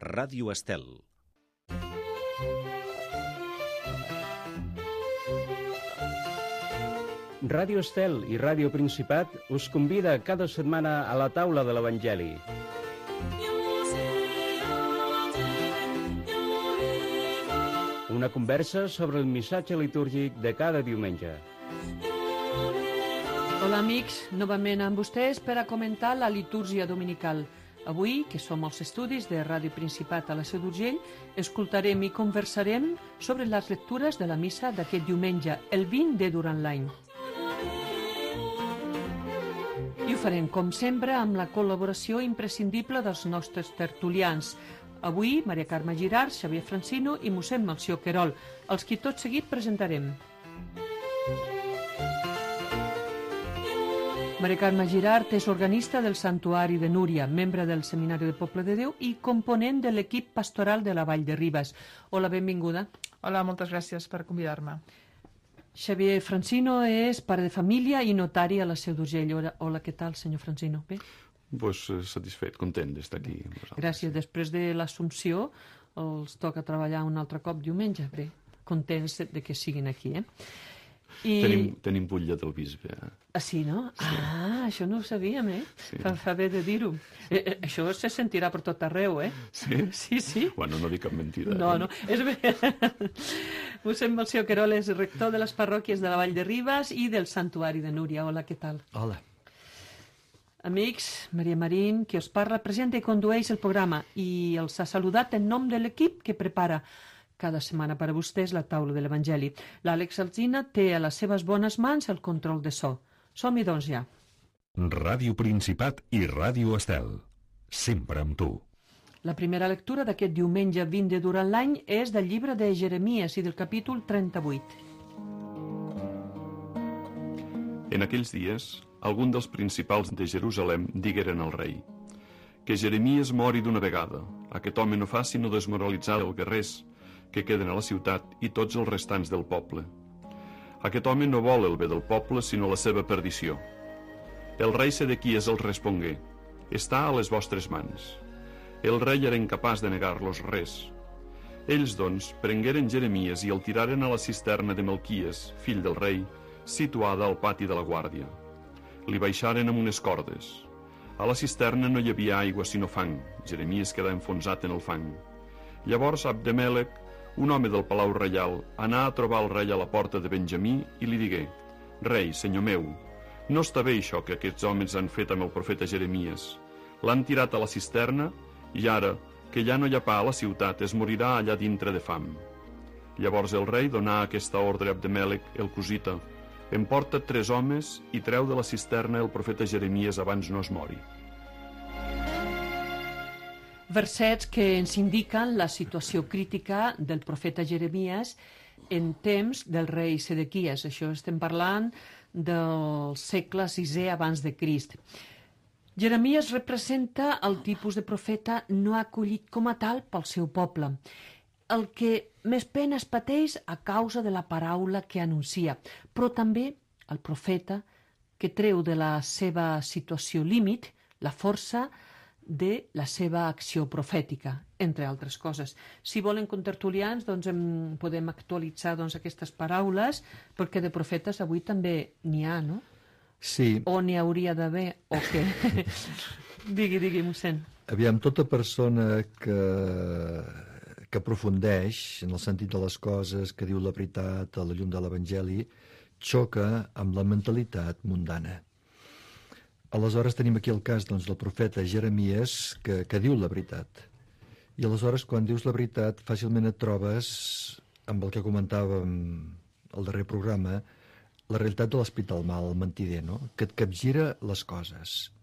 Ràdio Estel. Ràdio Estel i Ràdio Principat us convida cada setmana a la taula de l'Evangeli. Una conversa sobre el missatge litúrgic de cada diumenge. Hola amics, novament amb vostès per a comentar la litúrgia dominical. Avui, que som als estudis de Ràdio Principat a la Seu d'Urgell, escoltarem i conversarem sobre les lectures de la missa d'aquest diumenge, el 20 de durant l'any. I ho farem, com sempre, amb la col·laboració imprescindible dels nostres tertulians. Avui, Maria Carme Girart, Xavier Francino i mossèn Melcior Querol, els qui tot seguit presentarem. Maria Carme Girart és organista del Santuari de Núria, membre del Seminari de Poble de Déu i component de l'equip pastoral de la Vall de Ribes. Hola, benvinguda. Hola, moltes gràcies per convidar-me. Xavier Francino és pare de família i notari a la Seu d'Urgell. Hola, què tal, senyor Francino? Bé? Pues satisfet, content d'estar aquí amb vosaltres. Gràcies. Després de l'Assumpció els toca treballar un altre cop diumenge. Bé, contents de que siguin aquí, Tenim butlla del bisbe. Ah, sí, no? Sí. Ah, això no ho sabíem, Sí. Fa bé de dir-ho. Això se sentirà per tot arreu, Sí? Sí. Bueno, no dic cap mentida. No, és bé. Mossèn Melcior Querol és rector de les parròquies de la Vall de Ribes i del Santuari de Núria. Hola, què tal? Hola. Amics, Maria Marín, qui us parla, presenta i condueix el programa i els ha saludat en nom de l'equip que prepara cada setmana per a vostès la taula de l'Evangeli. L'Àlex Alzina té a les seves bones mans el control de so. Som-hi, doncs, ja. Ràdio Principat i Ràdio Estel. Sempre amb tu. La primera lectura d'aquest diumenge 20 de durant l'any és del llibre de Jeremies i del capítol 38. En aquells dies, algun dels principals de Jerusalem digueren al rei: que Jeremies mori d'una vegada. Aquest home no fa sinó desmoralitzar els guerrers que queden a la ciutat i tots els restants del poble. Aquest home no vol el bé del poble, sinó la seva perdició. El rei Sedequies els respongué: està a les vostres mans. El rei era incapaç de negar-los res. Ells, doncs, prengueren Jeremies i el tiraren a la cisterna de Melquies, fill del rei, situada al pati de la guàrdia. Li baixaren amb unes cordes. A la cisterna no hi havia aigua sinó fang. Jeremies quedà enfonsat en el fang. Llavors Abdemelec, un home del palau reial, anà a trobar el rei a la porta de Benjamí i li digué: rei, senyor meu, no està bé això que aquests homes han fet amb el profeta Jeremies. L'han tirat a la cisterna i ara, que ja no hi ha pa a la ciutat, es morirà allà dintre de fam. Llavors el rei donà aquesta ordre a Abdemelec, el cosita: emporta 3 homes i treu de la cisterna el profeta Jeremies abans no es mori. Versets que ens indiquen la situació crítica del profeta Jeremies en temps del rei Sedequies. Això estem parlant del segle VI abans de Crist. Jeremies representa el tipus de profeta no acollit com a tal pel seu poble, el que més penes pateix a causa de la paraula que anuncia, però també el profeta que treu de la seva situació límit la força de la seva acció profètica, entre altres coses. Si volen contertulians, doncs podem actualitzar aquestes paraules, perquè de profetes avui també n'hi ha, no? Sí. O n'hi hauria d'haver, o què? Digui, mossèn. Aviam, tota persona que aprofundeix en el sentit de les coses, que diu la veritat a la llum de l'Evangeli, xoca amb la mentalitat mundana. Aleshores tenim aquí el cas del profeta Jeremies que diu la veritat. I aleshores quan dius la veritat fàcilment et trobes amb el que comentàvem al darrer programa, la realitat de l'hospital mal, el mentider, no? Que et capgira les coses.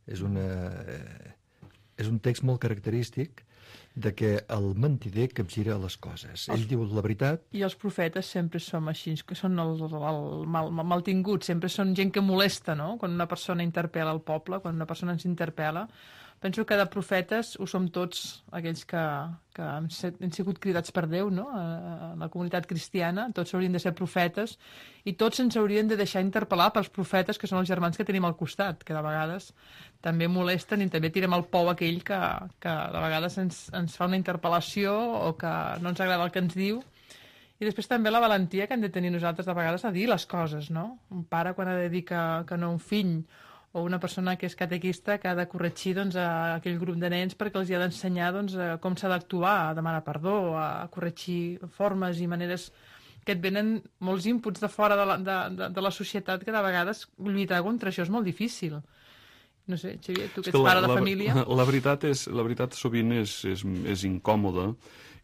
És un text molt característic de que el mentider capgira les coses. Ell diu la veritat. I els profetes sempre som així, que són el maltinguts, sempre són gent que molesta, no? Quan una persona interpel·la el poble, quan una persona ens interpel·la, penso que de profetes ho som tots aquells que han sigut cridats per Déu, no? A la comunitat cristiana, tots haurien de ser profetes i tots ens haurien de deixar interpel·lar pels profetes, que són els germans que tenim al costat, que de vegades també molesten i també tirem el pou aquell que de vegades ens fa una interpel·lació o que no ens agrada el que ens diu. I després també la valentia que hem de tenir nosaltres de vegades a dir les coses, no? Un pare quan ha de dir que no a un fill, o una persona que és catequista que ha de corregir doncs, a aquell grup de nens perquè els ha d'ensenyar doncs, com s'ha d'actuar, a demanar perdó, a corregir formes i maneres que et venen molts inputs de fora de la societat que de vegades lluitar contra això és molt difícil. No sé, Xavier, tu que ets pare de família... La veritat sovint és incòmoda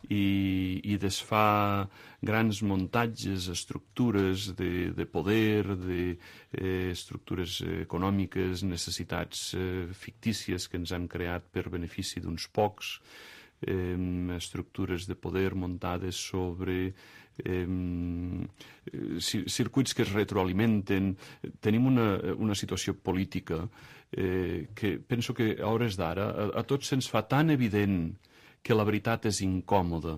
i desfà grans muntatges, estructures de poder, estructures econòmiques, necessitats fictícies que ens han creat per benefici d'uns pocs, estructures de poder muntades sobre circuits que es retroalimenten. Tenim una situació política que penso que a hores d'ara a tots se'ns fa tan evident que la veritat és incòmoda,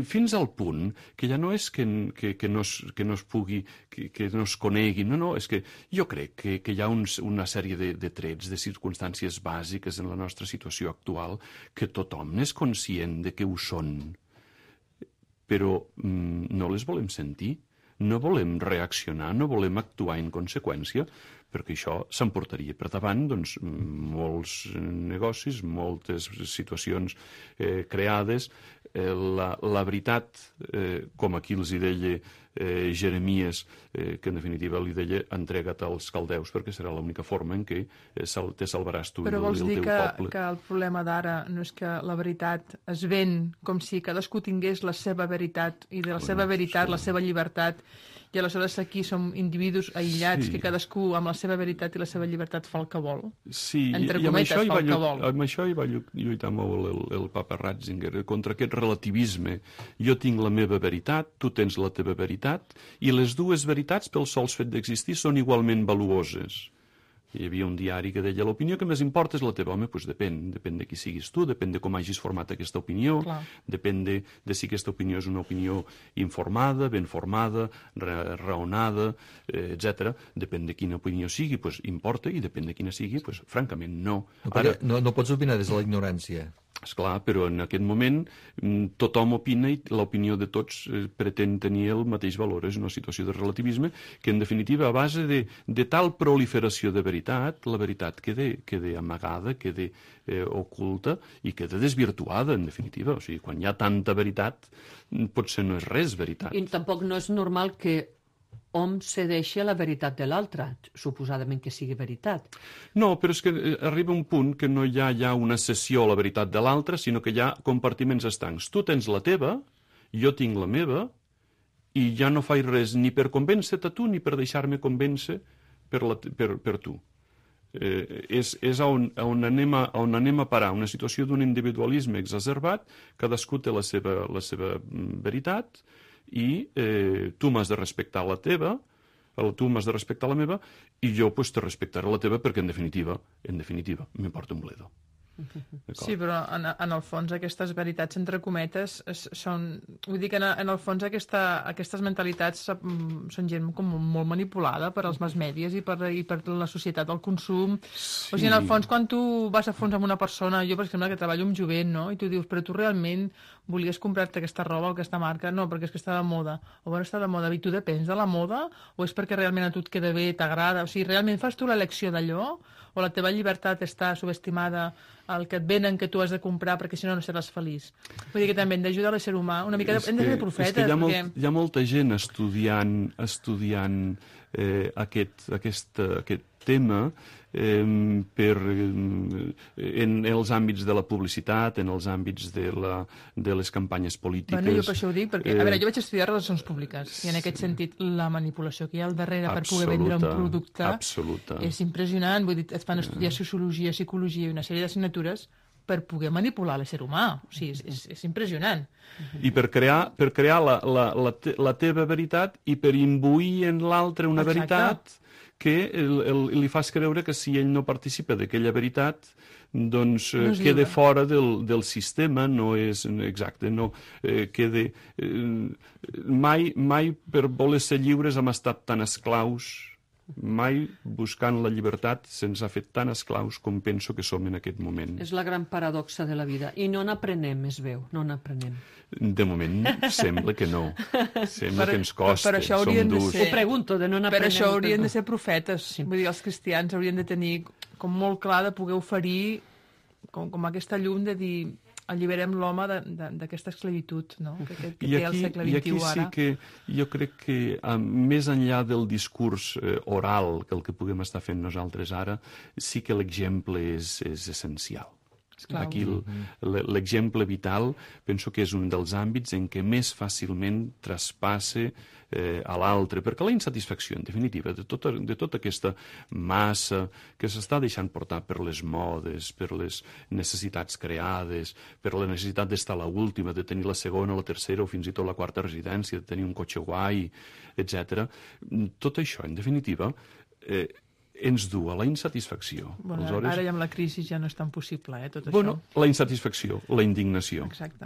fins al punt que ja no és que no es pugui, que no es conegui, no, és que jo crec que hi ha una sèrie de trets, de circumstàncies bàsiques en la nostra situació actual que tothom n'és conscient de que ho són, però no les volem sentir, no volem reaccionar, no volem actuar en conseqüència, perquè això s'emportaria per davant doncs, molts negocis, moltes situacions creades. La veritat, com aquí els hi deia Jeremies, que en definitiva li deia entrega't als caldeus perquè serà l'única forma en què te salvaràs tu i el teu poble. Però vols dir que el problema d'ara no és que la veritat es ven com si cadascú tingués la seva veritat i de la seva veritat, la seva llibertat, i aleshores aquí som individus aïllats que cadascú amb la seva veritat i la seva llibertat fa el que vol. Sí, entre cometes, fa el que vol. Amb això hi va lluitar molt el papa Ratzinger, contra aquest relativisme. Jo tinc la meva veritat, tu tens la teva veritat, i les dues veritats, pel sol fet d'existir, són igualment valuoses. Hi havia un diari que deia l'opinió que més importa és la teva. Home, doncs depèn de qui siguis tu, depèn de com hagis format aquesta opinió, depèn de si aquesta opinió és una opinió informada, ben formada, raonada, etc. Depèn de quina opinió sigui, doncs importa, i depèn de quina sigui, doncs francament no. No pots opinar des de la ignorància. Esclar, però en aquest moment tothom opina i l'opinió de tots pretén tenir el mateix valor. És una situació de relativisme que, en definitiva, a base de tal proliferació de veritat, la veritat queda amagada, queda oculta i queda desvirtuada, en definitiva. O sigui, quan hi ha tanta veritat, potser no és res veritat. I tampoc no és normal que hom cedeixi a la veritat de l'altre, suposadament que sigui veritat. No, però és que arriba un punt que no hi ha ja una cessió a la veritat de l'altre, sinó que hi ha compartiments estancs. Tu tens la teva, jo tinc la meva, i ja no faig res ni per convèncer-te a tu ni per deixar-me convèncer per tu. És on anem a parar, una situació d'un individualisme exacerbat, cadascú té la seva veritat, i tu m'has de respectar la teva, tu m'has de respectar la meva, i jo te respectaré la teva perquè, en definitiva, m'importa un bledo. Sí, però en el fons aquestes veritats entre cometes són... Vull dir que en el fons aquestes mentalitats són gent com molt manipulada per als mass mèdies i per la societat del consum. Sí. O sigui, en el fons, quan tu vas a fons amb una persona, jo per exemple que treballo amb jovent, no? I tu dius, però tu realment volies comprar-te aquesta roba o aquesta marca? No, perquè és que està de moda. O bueno, està de moda. I tu depens de la moda? O és perquè realment a tu et queda bé, t'agrada? O sigui, realment fas tu l'elecció d'allò? O la teva llibertat està subestimada al que et venen que tu has de comprar perquè si no no seràs feliç? Vull dir que també hem d'ajudar l'ésser humà. Una mica hem de ser profetes. És que hi ha molta gent estudiant aquest tema en els àmbits de la publicitat, en els àmbits de les campanyes polítiques. Bueno, jo per això ho dic, perquè a veure, jo vaig estudiar relacions públiques i en aquest sentit la manipulació que hi ha al darrere per poder vendre un producte és impressionant. Vull dir, et fan estudiar sociologia, psicologia i una sèrie d'assignatures per poder manipular l'ésser humà. O sigui, és impressionant. I per crear la teva veritat i per imbuir en l'altre una veritat que li fas creure que si ell no participa d'aquella veritat, doncs queda fora del sistema, no és exacte, no queda... Mai per voler ser lliures hem estat tan esclaus, mai buscant la llibertat se'ns ha fet tan esclaus com penso que som en aquest moment. És la gran paradoxa de la vida. I no n'aprenem, es veu, no n'aprenem. De moment sembla que no. Sembla que ens costa, per això som durs. Ho pregunto, de no n'aprenem. Per això haurien de ser profetes. Sí. Vull dir, els cristians haurien de tenir com molt clar de poder oferir com aquesta llum de dir alliberem l'home d'aquesta esclavitud, no? que té el segle XXI ara. I aquí sí que jo crec que més enllà del discurs oral que el que puguem estar fent nosaltres ara, sí que l'exemple és essencial. Esclar. Aquí l'exemple vital penso que és un dels àmbits en què més fàcilment traspassa a l'altre, perquè la insatisfacció, en definitiva, de tota aquesta massa que s'està deixant portar per les modes, per les necessitats creades, per la necessitat d'estar a l'última, de tenir la segona, la tercera o fins i tot la quarta residència, de tenir un cotxe guai, etc. Tot això, en definitiva, ens du a la insatisfacció. Bueno, aleshores... Ara ja amb la crisi ja no és tan possible, tot això. Bueno, la insatisfacció, la indignació. Exacte.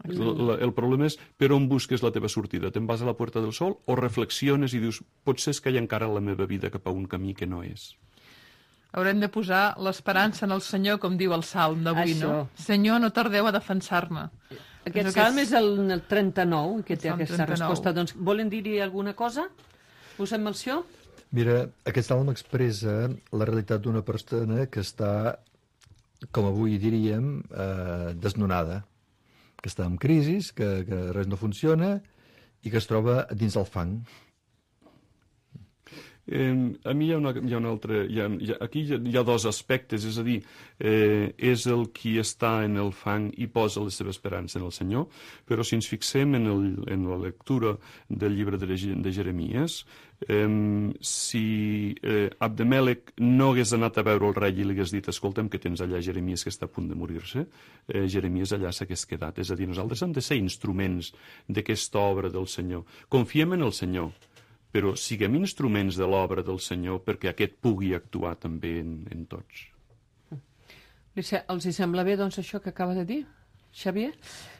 El problema és per on busques la teva sortida. Te'n vas a la Puerta del Sol o reflexiones i dius potser és que hi ha encara la meva vida cap a un camí que no és. Haurem de posar l'esperança en el Senyor, com diu el Salm d'avui, no? Senyor, no tardeu a defensar-me. Aquest Salm és el 39, que té aquesta resposta. Doncs volen dir-hi alguna cosa? Posem menció? Mira, aquest Salm expressa la realitat d'una persona que està, com avui diríem, desnonada, que està en crisi, que res no funciona i que es troba dins el fang. A mi hi ha un altre... Aquí hi ha dos aspectes, és a dir, és el qui està en el fang i posa la seva esperança en el Senyor, però si ens fixem en la lectura del llibre de Jeremies, si Abdemelec no hagués anat a veure el rei i li hagués dit escolta'm que tens allà Jeremies que està a punt de morir-se, Jeremies allà s'hagués quedat. És a dir, nosaltres hem de ser instruments d'aquesta obra del Senyor. Confiem en el Senyor, però siguem instruments de l'obra del Senyor perquè aquest pugui actuar també en tots. Els sembla bé, doncs, això que acaba de dir, Xavier?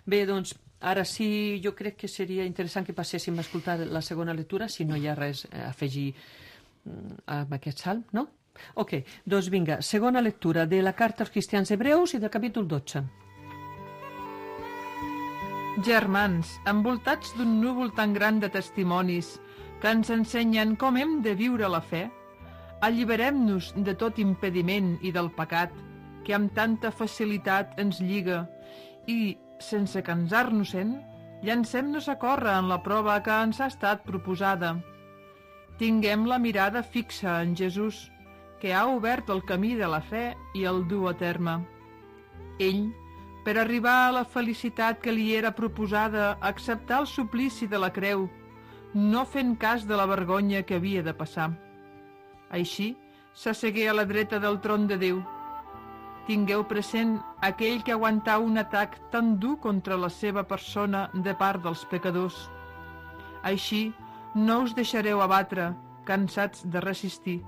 Bé, doncs, ara sí, jo crec que seria interessant que passéssim a escoltar la segona lectura, si no hi ha res a afegir amb aquest salm, no? Ok, doncs vinga, segona lectura de la carta als cristians hebreus i del capítol 12. Germans, envoltats d'un núvol tan gran de testimonis que ens ensenyen com hem de viure la fe, alliberem-nos de tot impediment i del pecat que amb tanta facilitat ens lliga i, sense cansar-nos-en, llancem-nos a córrer en la prova que ens ha estat proposada. Tinguem la mirada fixa en Jesús, que ha obert el camí de la fe i el du a terme. Ell, per arribar a la felicitat que li era proposada, acceptar el suplici de la creu, no fent cas de la vergonya que havia de passar. Així, s'assegué a la dreta del tron de Déu. Tingueu present aquell que aguantà un atac tan dur contra la seva persona de part dels pecadors. Així, no us deixareu abatre, cansats de resistir.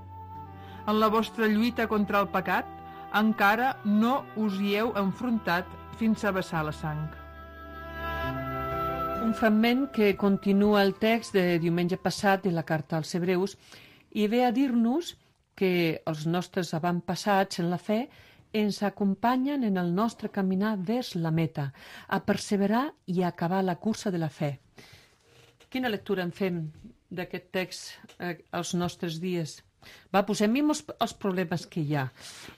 En la vostra lluita contra el pecat, encara no us hi heu enfrontat fins a vessar la sang. Un fragment que continua el text de diumenge passat de la carta als Hebreus i ve a dir-nos que els nostres avantpassats en la fe ens acompanyen en el nostre caminar vers la meta, a perseverar i a acabar la cursa de la fe. Quina lectura en fem d'aquest text als nostres dies? Va, posem-hi els problemes que hi ha.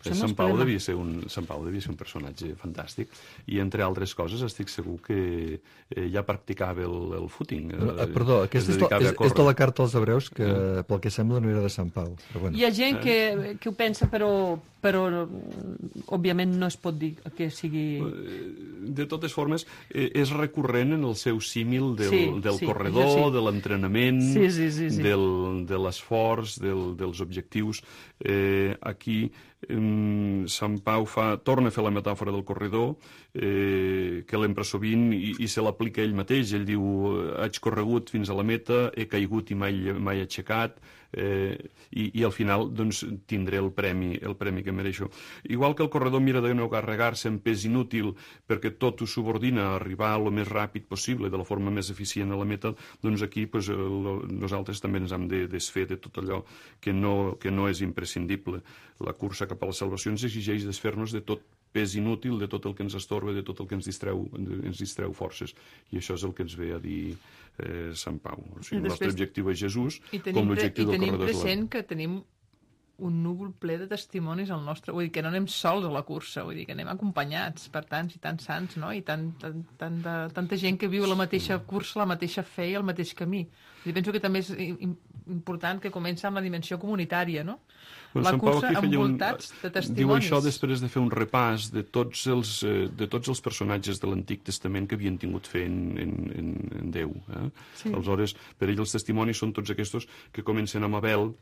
Sant Pau devia ser un personatge fantàstic i, entre altres coses, estic segur que ja practicava el footing. Perdó, aquesta és de la carta als Hebreus que, pel que sembla, no era de Sant Pau. Però bueno. Hi ha gent que ho pensa, però òbviament no es pot dir que sigui... De totes formes, és recurrent en el seu símil del corredor, de l'entrenament, de l'esforç, dels objectius. Aquí Sant Pau torna a fer la metàfora del corredor, que l'empra sovint i se l'aplica ell mateix. Ell diu, haig corregut fins a la meta, he caigut i mai aixecat, i al final doncs, tindré el premi que mereixo. Igual que el corredor mira de no carregar-se en pes inútil perquè tot ho subordina a arribar el més ràpid possible, de la forma més eficient a la meta, doncs aquí nosaltres també ens hem de desfer de tot allò que no és imprescindible. La cursa cap a la salvació ens exigeix desfer-nos de tot pes inútil, de tot el que ens estorba, de tot el que ens distreu forces. I això és el que ens ve a dir Sant Pau. O sigui, el nostre objectiu és Jesús, com l'objectiu del corredor. I tenim present que tenim un núvol ple de testimonis al nostre... Vull dir, que no anem sols a la cursa, vull dir, que anem acompanyats per tants i tants sants, no? I tanta gent que viu la mateixa cursa, la mateixa fe i el mateix camí. I penso que també és important que comença amb la dimensió comunitària, no? La cursa envoltats de testimonis. Diu això després de fer un repàs de tots els personatges de l'Antic Testament que havien tingut fe en Déu. Sí. Aleshores, per ell els testimonis són tots aquests que comencen amb Abel,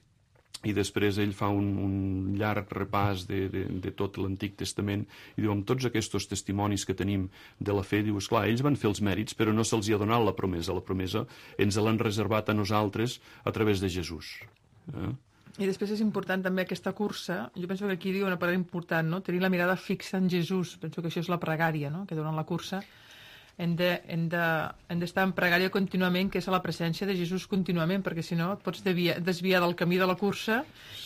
i després ell fa un llarg repàs de tot l'Antic Testament i diu, amb tots aquests testimonis que tenim de la fe, diu, esclar, ells van fer els mèrits, però no se'ls hi ha donat la promesa ens l'han reservat a nosaltres a través de Jesús. I després és important també aquesta cursa, jo penso que aquí diu una paraula important, no? Tenir la mirada fixa en Jesús, penso que això és la pregària, no? Que durant la cursa hem d'estar en pregària contínuament, que és a la presència de Jesús contínuament, perquè si no et pots desviar del camí de la cursa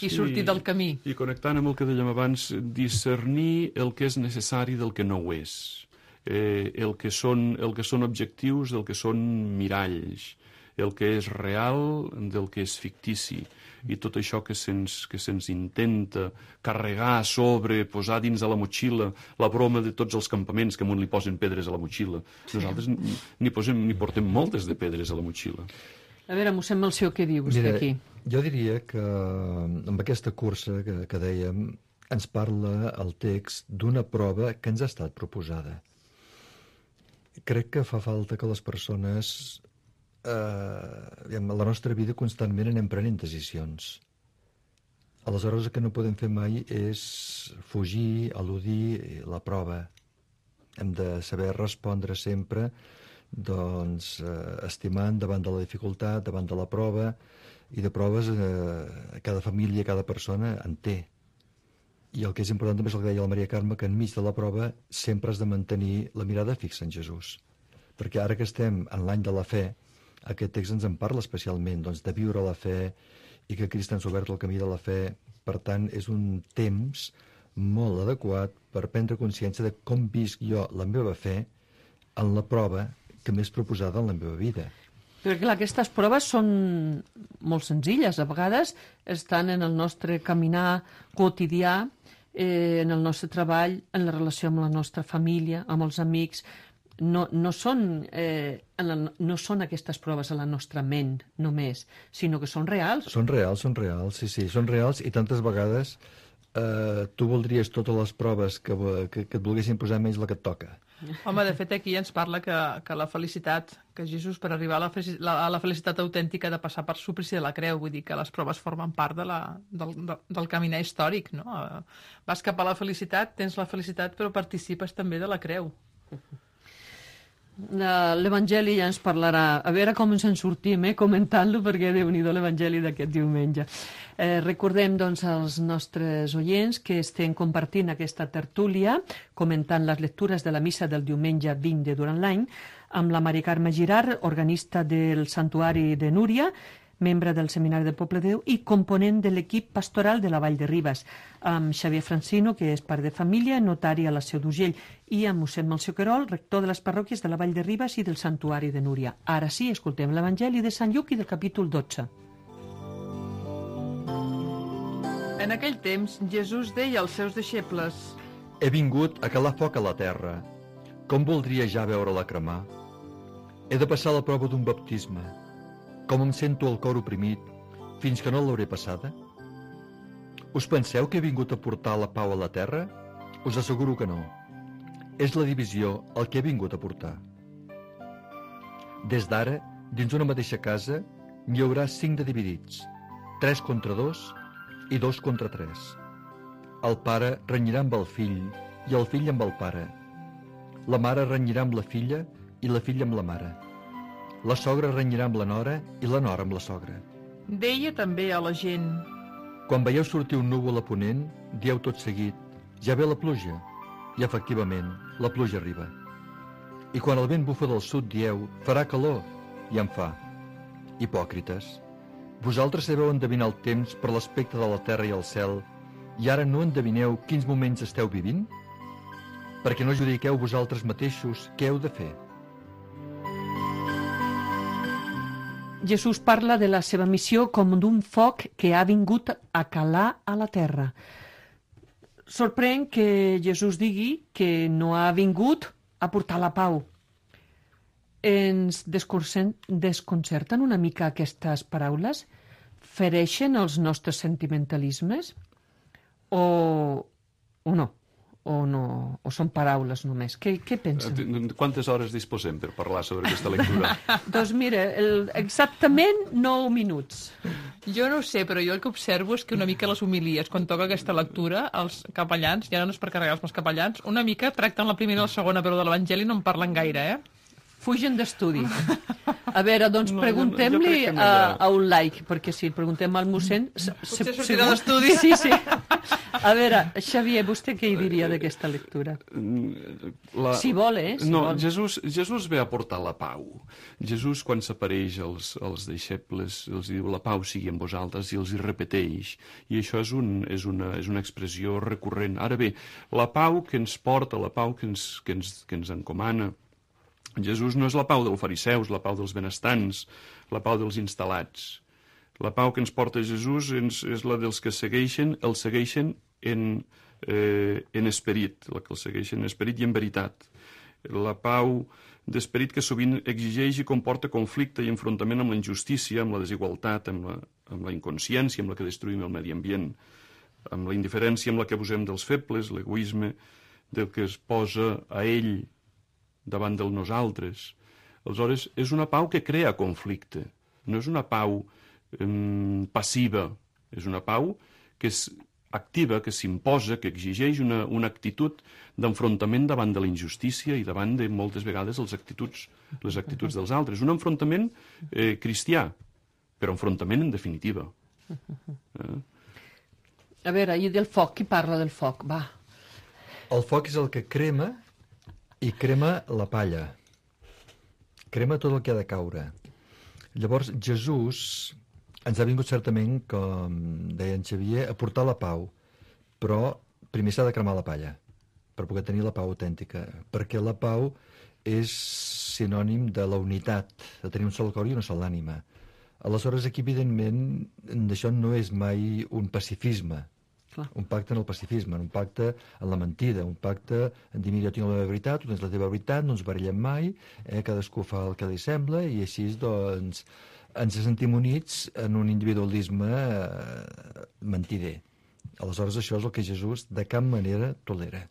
i sortir del camí. I connectant amb el que dèiem abans, discernir el que és necessari del que no ho és, el que són objectius del que són miralls, el que és real del que és fictici, i tot això que se'ns intenta carregar a sobre, posar dins de la motxilla, la broma de tots els campaments que amunt li posen pedres a la motxilla. Nosaltres n'hi portem moltes de pedres a la motxilla. A veure, mossèn Melcior, què dius d'aquí? Jo diria que amb aquesta cursa que dèiem ens parla el text d'una prova que ens ha estat proposada. Crec que fa falta que les persones a la nostra vida constantment anem prenent decisions. Aleshores el que no podem fer mai és fugir, eludir la prova. Hem de saber respondre sempre estimant davant de la dificultat, davant de la prova, i de proves cada família, cada persona en té. I el que és important també és el que deia la Maria Carme, que enmig de la prova sempre has de mantenir la mirada fixa en Jesús. Perquè ara que estem en l'any de la fe, aquest text ens en parla especialment, de viure la fe i que Crist ens ha obert el camí de la fe. Per tant, és un temps molt adequat per prendre consciència de com visc jo la meva fe en la prova que m'és proposada en la meva vida. Però clar, aquestes proves són molt senzilles. A vegades estan en el nostre caminar quotidià, en el nostre treball, en la relació amb la nostra família, amb els amics. No són aquestes proves a la nostra ment només, sinó que són reals. Són reals, sí, són reals, i tantes vegades tu voldries totes les proves que et volguessin posar menys la que et toca. Home, de fet aquí ens parla que la felicitat, que Jesús per arribar a la felicitat autèntica ha de passar per suplici de la creu, vull dir que les proves formen part del caminar històric, no? Vas cap a la felicitat, tens la felicitat, però participes també de la creu. L'Evangeli ja ens parlarà, a veure com ens en sortim comentant-lo, perquè Déu-n'hi-do l'Evangeli d'aquest diumenge. Recordem doncs als nostres oients que estem compartint aquesta tertúlia comentant les lectures de la missa del diumenge 20 de durant l'any amb la Maria Carme Girard, organista del Santuari de Núria, membre del Seminari del Poble de Déu i component de l'equip pastoral de la Vall de Ribes, amb Xavier Francino, que és pare de família, notari a la Seu d'Urgell, i amb mossèn Melcior Querol, rector de les parròquies de la Vall de Ribes i del Santuari de Núria. Ara sí, escoltem l'Evangeli de Sant Lluc i del capítol 12. En aquell temps, Jesús deia als seus deixebles: He vingut a calar foc a la terra. Com voldria ja veure-la cremar? He de passar la prova d'un baptisme. Com em sento el cor oprimit, fins que no l'hauré passada? Us penseu que he vingut a portar la pau a la terra? Us asseguro que no. És la divisió el que he vingut a portar. Des d'ara, dins una mateixa casa, n'hi haurà 5 de dividits, 3 contra 2 i 2 contra 3. El pare renyirà amb el fill i el fill amb el pare. La mare renyirà amb la filla i la filla amb la mare. La sogra renyirà amb la nora i la nora amb la sogra. Deia també a la gent: Quan veieu sortir un núvol a ponent, dieu tot seguit: ja ve la pluja. I efectivament, la pluja arriba. I quan el vent bufa del sud, dieu: farà calor. I en fa. Hipòcrites, vosaltres sabeu endevinar el temps per l'aspecte de la terra i el cel, i ara no endevineu quins moments esteu vivint? Perquè no judiqueu vosaltres mateixos què heu de fer. Jesús parla de la seva missió com d'un foc que ha vingut a calar a la terra. Sorprèn que Jesús digui que no ha vingut a portar la pau. Ens desconcerten una mica aquestes paraules? Fereixen els nostres sentimentalismes? O no? O són paraules només? Què pensen? Quantes hores disposem per parlar sobre aquesta lectura? Doncs mira, exactament 9 minuts. Jo no ho sé, però jo el que observo és que una mica les homilies, quan toca aquesta lectura, els capellans, ja no és per carregar-los els capellans, una mica tracten la primera i la segona, però de l'Evangeli no en parlen gaire, Fugen d'estudi. A veure, doncs preguntem-li a un laic, perquè si preguntem al mossèn... Potser sortirà d'estudi. Sí. A veure, Xavier, vostè què hi diria d'aquesta lectura? Si vol, Si vol. Jesús ve a portar la pau. Jesús, quan s'apareix als deixebles, els diu: la pau sigui amb vosaltres, i els hi repeteix. I això és una expressió recurrent. Ara bé, la pau que ens porta, la pau que ens encomana, Jesús no és la pau dels fariseus, la pau dels benestants, la pau dels instal·lats. La pau que ens porta Jesús és la dels que el segueixen en esperit, la que el segueixen en esperit i en veritat. La pau d'esperit que sovint exigeix i comporta conflicte i enfrontament amb la injustícia, amb la desigualtat, amb la inconsciència amb la que destruïm el medi ambient, amb la indiferència amb la que abusem dels febles, l'egoisme del que es posa a ell davant del nosaltres. Aleshores, és una pau que crea conflicte, no és una pau passiva, és una pau que és activa, que s'imposa, que exigeix una actitud d'enfrontament davant de la injustícia i davant de moltes vegades les actituds dels altres. Un enfrontament cristià, però enfrontament en definitiva. A veure, i del foc, qui parla del foc? Va. El foc és el que crema i crema la palla. Crema tot el que ha de caure. Llavors, Jesús ens ha vingut certament, com deia en Xavier, a portar la pau, però primer s'ha de cremar la palla per poder tenir la pau autèntica, perquè la pau és sinònim de la unitat, de tenir un sol cor i una sola ànima. Aleshores, aquí, evidentment, això no és mai un pacifisme, un pacte en el pacifisme, un pacte en la mentida, un pacte en dir: mira, jo tinc la meva veritat, tu tens la teva veritat, no ens barallem mai, cadascú fa el que li sembla, i així, doncs, ens sentim units en un individualisme mentider. Aleshores, això és el que Jesús de cap manera tolera.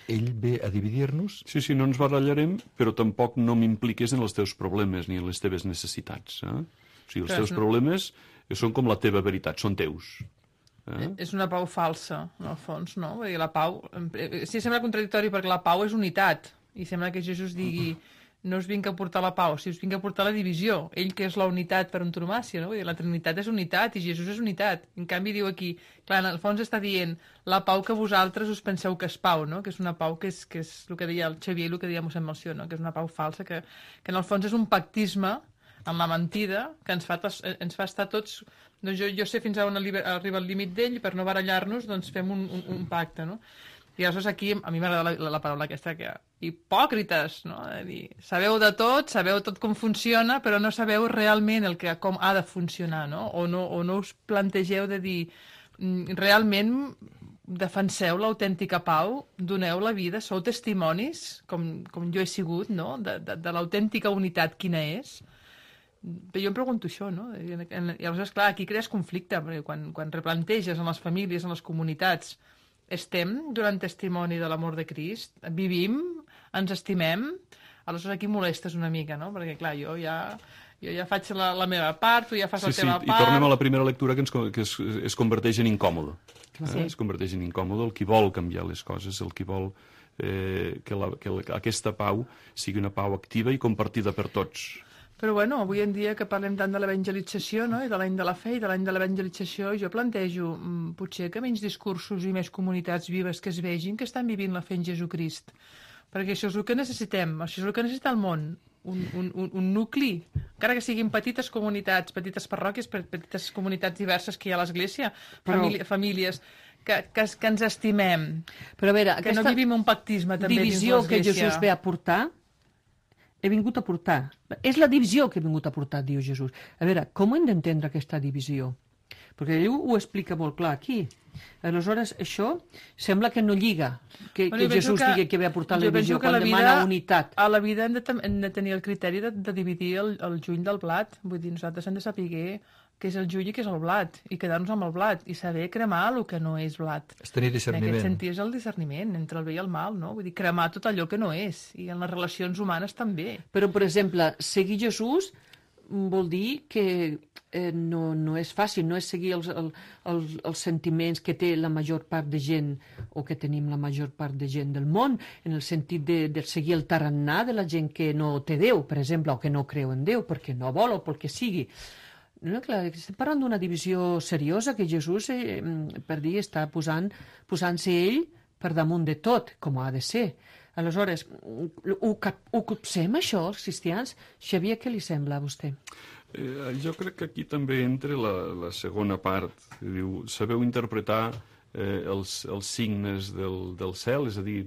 Ell ve a dividir-nos. Sí, no ens barallarem, però tampoc no m'impliques en els teus problemes ni en les teves necessitats. O sigui, els teus problemes són com la teva veritat, són teus. És una pau falsa, en el fons, no? Vull dir, la pau... Sí, sembla contradictori perquè la pau és unitat. I sembla que Jesús digui: no us vinc a portar la pau, si us vinc a portar la divisió. Ell, que és la unitat per antonomàsia, no? Vull dir, la Trinitat és unitat i Jesús és unitat. En canvi, diu aquí, clar, en el fons està dient la pau que vosaltres us penseu que és pau, no? Que és una pau que és el que deia el Xavier i el que deia mossèn Melcior, no? Que és una pau falsa, que en el fons és un pactisme en la mentida que ens fa estar tots... Doncs jo sé fins a on arriba el límit d'ell, i per no barallar-nos doncs fem un pacte, no? I aleshores aquí a mi m'agrada la paraula aquesta, que hipòcrites, no? Dir, sabeu de tot, sabeu tot com funciona, però no sabeu realment com ha de funcionar, no? O no us plantegeu de dir realment defenseu l'autèntica pau, doneu la vida, sou testimonis, com jo he sigut, no? De l'autèntica unitat quina és. Però jo em pregunto això, no? I aleshores, clar, aquí crees conflicte, perquè quan replanteges en les famílies, en les comunitats, estem donant testimoni de l'amor de Crist, vivim, ens estimem, aleshores aquí molestes una mica, no? Perquè, clar, jo ja faig la meva part, tu ja fas la teva part... I tornem a la primera lectura que es converteix en incòmode. Es converteix en incòmode el qui vol canviar les coses, el qui vol que aquesta pau sigui una pau activa i compartida per tots. Però bueno, avui en dia que parlem tant de l'evangelització, no? I de l'any de la fe i de l'any de l'evangelització, jo plantejo potser que menys discursos i més comunitats vives que es vegin que estan vivint la fe en Jesucrist. Perquè això és el que necessitem, això és el que necessita el món, un nucli, encara que siguin petites comunitats, petites parròquies, petites comunitats diverses que hi ha a l'Església, famílies que ens estimem, però a veure, que no vivim un pactisme també dins l'Església. Divisió que Jesús ve a portar, he vingut a portar. És la divisió que he vingut a portar, diu Jesús. A veure, com hem d'entendre aquesta divisió? Perquè ell ho explica molt clar aquí. Aleshores, això sembla que no lliga, que Jesús digui que ve a portar la divisió, quan demana unitat. A la vida hem de tenir el criteri de dividir el juny del blat. Vull dir, nosaltres hem de saber què és el juny i què és el blat, i quedar-nos amb el blat, i saber cremar el que no és blat. És tenir discerniment. En aquest sentit és el discerniment entre el bé i el mal, no? Vull dir, cremar tot allò que no és, i en les relacions humanes també. Però, per exemple, seguir Jesús vol dir que no és fàcil, no és seguir els sentiments que té la major part de gent o que tenim la major part de gent del món, en el sentit de seguir el tarannà de la gent que no té Déu, per exemple, o que no creu en Déu, perquè no vol o pel que sigui. No, clar, estem parlant d'una divisió seriosa que Jesús, per dir, està posant-se ell per damunt de tot, com ha de ser. Aleshores, ho copsem, això, els cristians? Xavier, què li sembla a vostè? Jo crec que aquí també entra la segona part. Diu, sabeu interpretar els signes del cel, és a dir,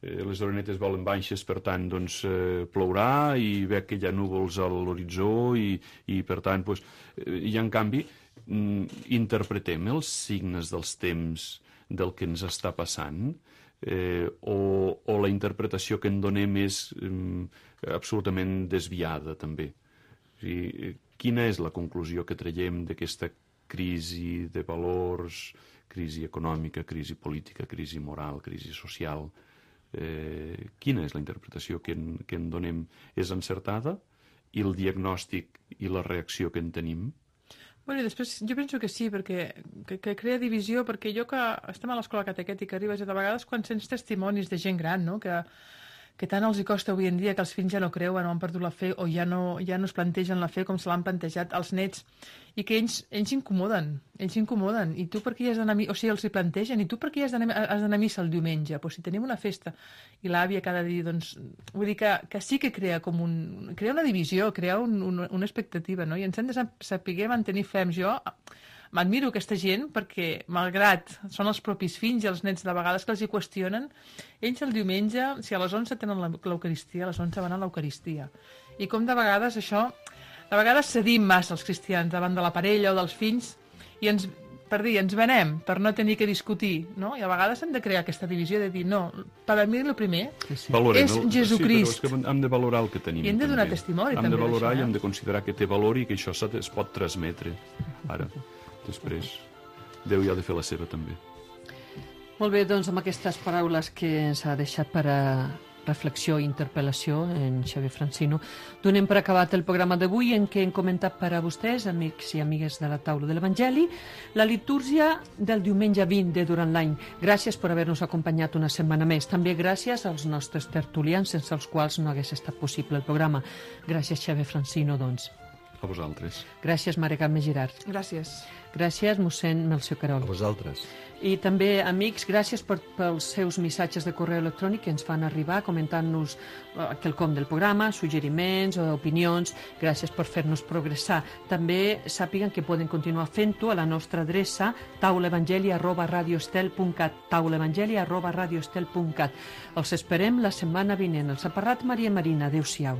les orenetes volen baixes, per tant, doncs, plourà, i ve que hi ha núvols a l'horitzó, i per tant, doncs, i en canvi, interpretem els signes dels temps del que ens està passant, o la interpretació que en donem és absolutament desviada, també. O sigui, quina és la conclusió que traiem d'aquesta crisi de valors, crisi econòmica, crisi política, crisi moral, crisi social? Quina és la interpretació que en donem? És encertada? I el diagnòstic i la reacció que en tenim? Bueno, i després jo penso que sí, perquè que crea divisió, perquè jo que estem a l'escola catequètica arribes, de vegades quan sents testimonis de gent gran, no?, que tant els hi costa avui en dia, que els fills ja no creuen o han perdut la fe o ja no es plantegen la fe com se l'han plantejat als nets, i que ells incomoden, i tu per què has d'anar a missa? O sigui, els hi plantegen, i tu per què has d'anar a missa el diumenge? Pues si tenim una festa i l'àvia cada dia, doncs, vull dir que sí que crea crea una divisió, crea una expectativa, no? I ens hem de saber mantenir ferms. Jo m'admiro aquesta gent perquè, malgrat són els propis fills i els nets de vegades que els hi qüestionen, ells el diumenge, si a les 11 tenen l'Eucaristia, a les 11 van a l'Eucaristia. I com de vegades això, de vegades cedim massa els cristians davant de la parella o dels fills i ens venem per no tenir que discutir, no? I a vegades hem de crear aquesta divisió de dir, no, per a mi el primer és Jesucrist. Sí, però és que hem de valorar el que tenim. I hem de donar testimoni també. Hem de valorar i hem de considerar que té valor i que això es pot transmetre. Ara, després, Déu ja ha de fer la seva també. Molt bé, doncs amb aquestes paraules que ens ha deixat per a reflexió i interpel·lació en Xavier Francino, donem per acabat el programa d'avui en què hem comentat per a vostès, amics i amigues de la taula de l'Evangeli, la litúrgia del diumenge 20 de durant l'any. Gràcies per haver-nos acompanyat una setmana més. També gràcies als nostres tertulians, sense els quals no hagués estat possible el programa. Gràcies, Xavier Francino, doncs. A vosaltres. Gràcies, Mare Carme Girard. Gràcies. Gràcies, mossèn Melcior Querol. A vosaltres. I també, amics, gràcies pels seus missatges de correu electrònic que ens fan arribar comentant-nos quelcom del programa, suggeriments o opinions. Gràcies per fer-nos progressar. També sàpiguen que poden continuar fent-ho a la nostra adreça taulaevangeli@radioestel.cat taulaevangeli@radioestel.cat. Els esperem la setmana vinent. Els ha parlat Maria Marina. Adéu-siau.